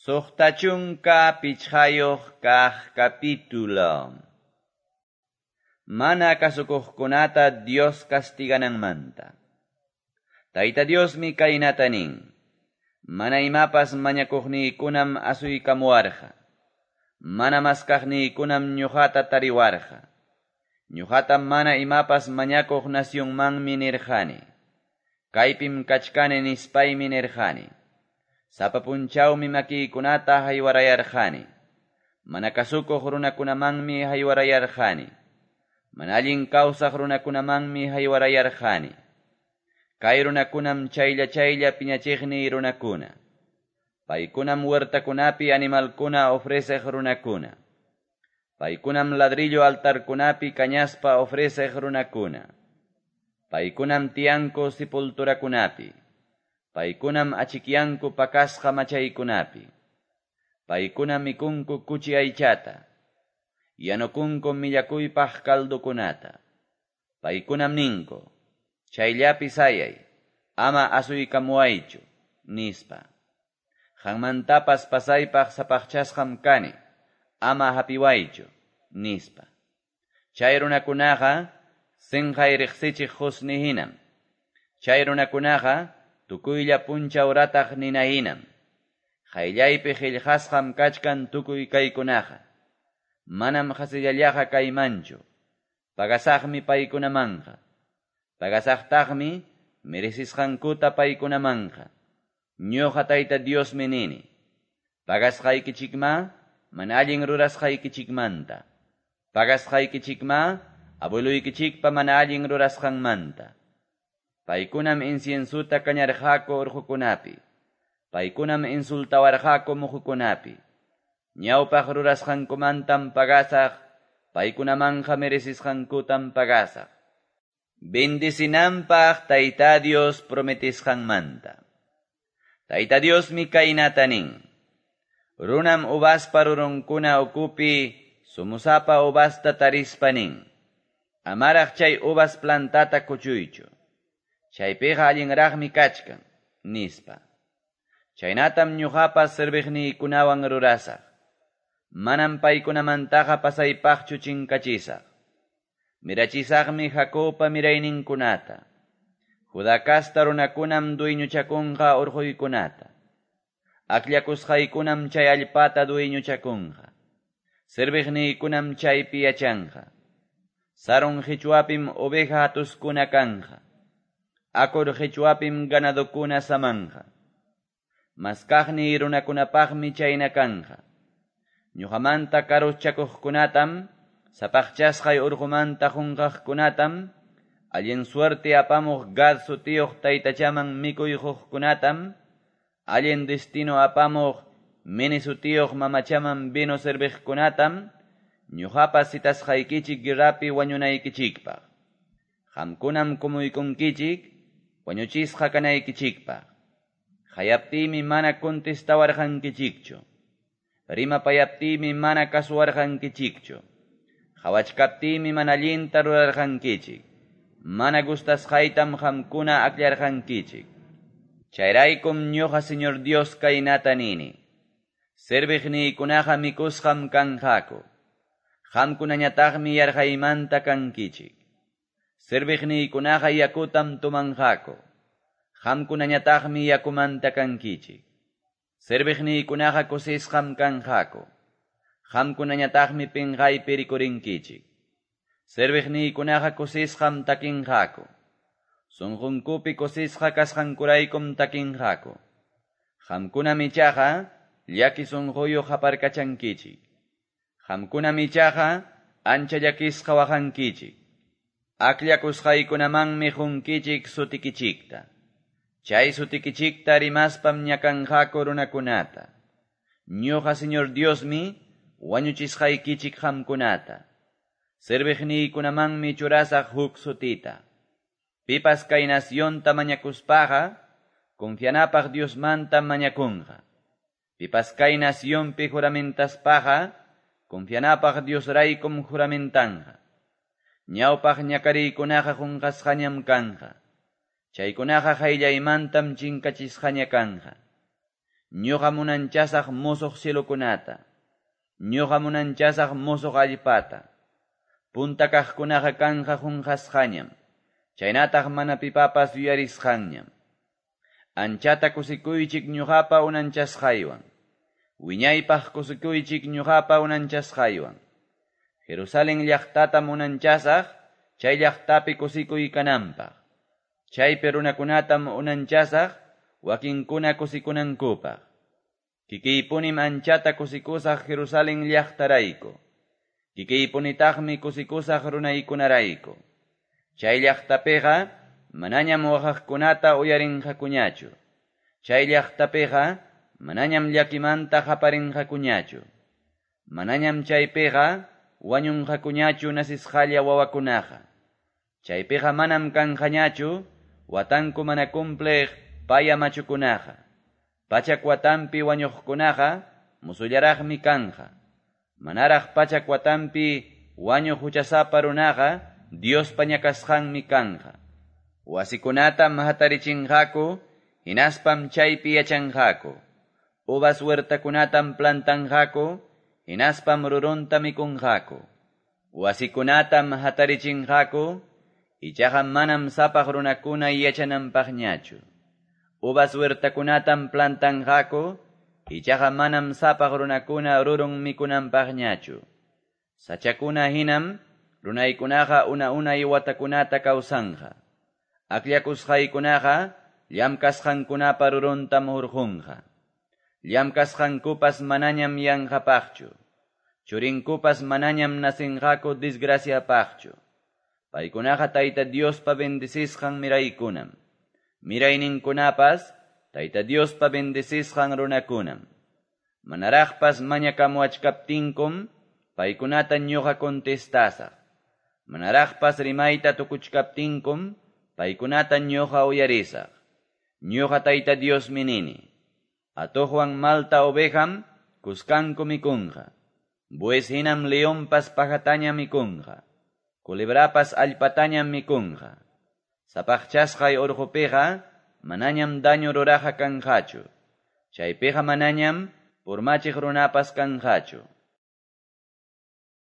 65 kaq capítulo. Mana kasukuqkunata Dios castigananmanta. Tayta Diosmi kaynata nin: Mana imapas mañakuqniykunam asuykamuwarqa. Mana maskaqniykunam ñuqata tariwarqa. Ñuqata mana imapas mañakuq nacionmanmi nirqani. Kaypim kachkani nispaymi nirqani. Sapa punchawmi makiykunata haywarayarqani. Mana kasukuq runakunamanmi haywarayarqani. Mana allin kawsaq runakunamanmi haywarayarqani. Kay runakunam chaylla chaylla piñachiqniy runakuna. Paykunam huertakunapi animalkuna ofreceq runakuna. Paykunam ladrillo altarkunapi kañaspa ofreceq runakuna. Paykunam tiyanku sepulturakunapi. Paykunam achikyanku pakasqa machaykunapi. Paykunam mikunku kuchi aychata. Yanukunku millakuypaq caldokunata. Paykunam ninku: Chayllapi sayay, ama asuykamuwaychu, nispa. Qanmantapas pasaypaq sapaqchasqam kani, ama hapiwaychu, nispa. Chay runakunaqa sinqay riqsichiq qusni hinam. Chay runakunaqa tukuylla punchaw rataq nina hinam. Qayllaypi qillqasqam kachkan tukuy kaykunaqa. Manam qasillallaqa kaymanchu. Pagasaqmi paykunamanqa. Pagasaqtaqmi merecisqankuta paykunamanqa. Ñuqa Tayta Diosmi nini: Pagasqaykichikma mana allin rurasqaykichikmanta. Pagasqaykichikma abueluykichikpa mana allin rurasqanmanta. Paykunam inciensuta kañarqaku urqukunapi. Paykunam insultawarqaku muhukunapi. Ñawpaq rurasqankumantam pagasaq, paykunamanqa merecisqankutam pagasaq. Bendicinanpaq Tayta Dios prometisqanmanta. Tayta Diosmi kaynata nin: Runam uvaspa rurunkuna ukupi sumusapa uvasta tarispa nin: Amaraq chay uvas plantata kuchuychu. Chaypiqa allinraqmi kachkan, nispa. Chaynatam ñuqapas serviqniykunawan rurasaq. Manam paykunamantaqa pasaypaqchu chinkachisaq. Mirachisaqmi Jacobpa mirayninkunata. Judá casta runakunam dueñochakunqa urquykunata. Akllakusqaykunam chay allpata dueñochakunqa. Serviqniykunam chaypi yachanqa. Sarón qichwapim oveja hatuskuna kanqa. Acor qichwapim ganadokuna samanqa. Maskaqniy runakunapaqmi chayna kanqa. Ñuqamanta karuschakuqkunatam, sapaqchasqay urqumanta qunqaqkunatam, allin suerte apamuq Gad sutiyuq taytachaman mikuy quqkunatam, allin destino apamuq Meni sutiyuq mamachaman vino serviqkunatam, ñuqapas citasqaykichik guerrapi wañunaykichikpaq. Qamkunam kumuykunkichik wañuchisqa kanaykichikpaq. Qayaptiymi mana contestawarqankichikchu. Rimapayaptiymi mana kasuwarqankichikchu. Qawachkaptiymi mana allinta rurarqankichik. Mana gustasqaytam qamkuna akllarqankichik. Chayraykum ñuqa Señor Dios kaynata nini: Serviqniykunaqa mikusqam kanqaku. Qamkunañataqmi yarqaymanta kankichik. Serviqniykunaqa yakutam tomanqaku. Qamkunañataqmi yakumanta kankichik. Serviqniykunaqa kusisqam kanqaku. Qamkunañataqmi pinqaypi rikurinkichik. Serviqniykunaqa kusisqam takinqaku. Sunqunkupi kusisqa kasqankuraykum takinqaku. Qamkunam ichaqa llaki sunquyuq qaparkachankichik. Qamkunam ichaqa ancha llakisqa waqankichik. Akllakusqaykunamanmi qunkichik sutikichikta. Chay sutikichikta rimaspam ñakanqaku runakunata. Ñuqa Señor Diosmi wañuchisqaykichik qamkunata. Serviqniykunamanmi churasaq huk sutita. Pipas kay nacionta mañakuspaqa, confianapaq Diosmantam mañakunqa. Pipas kay nacionpi juramentaspaqa, confianapaq Diosraykum juramentanqa. Ñawpaq ñakariykunaqa qunqasqañam kanqa. Chaykunaqa qayllaymantam chinkachisqaña kanqa. Ñuqam unanchasaq musuq cielokunata. Ñuqam unanchasaq musuq allpata. Punta kaqkunaqa kanqa qunqasqañam. Chaynataq mana pipapas yuyarisqanñam. Anchata kusikuychik ñuqapa unanchasqaywan. Wiñaypaq kusikuychik ñuqapa unanchasqaywan. Jerusalén llaqtatam unanchasaq, chay llaqtapi kusikuy kananpaq. Chaypi runakunatam unanchasaq, wakinkuna kusikunankupaq. Kikiypunim anchata kusikusaq Jerusalén llaqtarayku. Kikiypunitaqmi kusikusaq runaykunarayku. Chay llaqtapiqa manañam waqaqkunata uyarinqakuñachu. Chay llaqtapiqa manañam llakimanta qaparinqakuñachu. Manañam chaypiqa wañunqakuñachu nasisqalla wawakunaqa. Chaypiqa manam kanqañachu watanku mana cumpliq paya machukunaqa. Pachak watanpi wañuqkunaqa musullaraqmi kanqa. Manaraq pachak watanpi wañuq huchasapa runaqa Diospa ñakasqanmi kanqa. Wasikunatam hatarichinqaku, hinaspam chaypi yachanqaku. Uvas huertakunatam plantanqaku, hinaspam rurunta mikunqaku. Wasikunatam hatarichinqaku, ichaqa manam sapaq runakuna yachananpaqñachu. Uvas huertakunatam plantanqaku, ichaqa manam sapaq runakuna rurun mikunanpaqñachu. Sachakuna hinam runaykunaqa una-unay watakunata kawsanqa. Akllakusqaykunaqa llamkasqankunapa ruruntam hurqunqa. Llamkasqankupas manañam yanqapaqchu. Churinkupas manañam nasinqaku desgraciapaqchu. Paykunaqa Tayta Diospa bendecisqan miraykunam. Mirayninkunapas Tayta Diospa bendecisqan runakunam. Manaraqpas mañakamuachkaptinkum paykunata ñuqa contestasaq. Manaraqpas rimayta tukuchkaptinkum paykunata ñuqa uyarisaq. Ñuqa Tayta Diosmi nini. Atuqwan malta ovejam kuskanku mikunqa. Bues hinam leonpas pajataña mikunqa. Culebrapas allpatañam mikunqa. Sapaqchasqay urqupiqa manañam daño ruraqa kanqachu. Chaypiqa manañam purmachiq runapas kanqachu.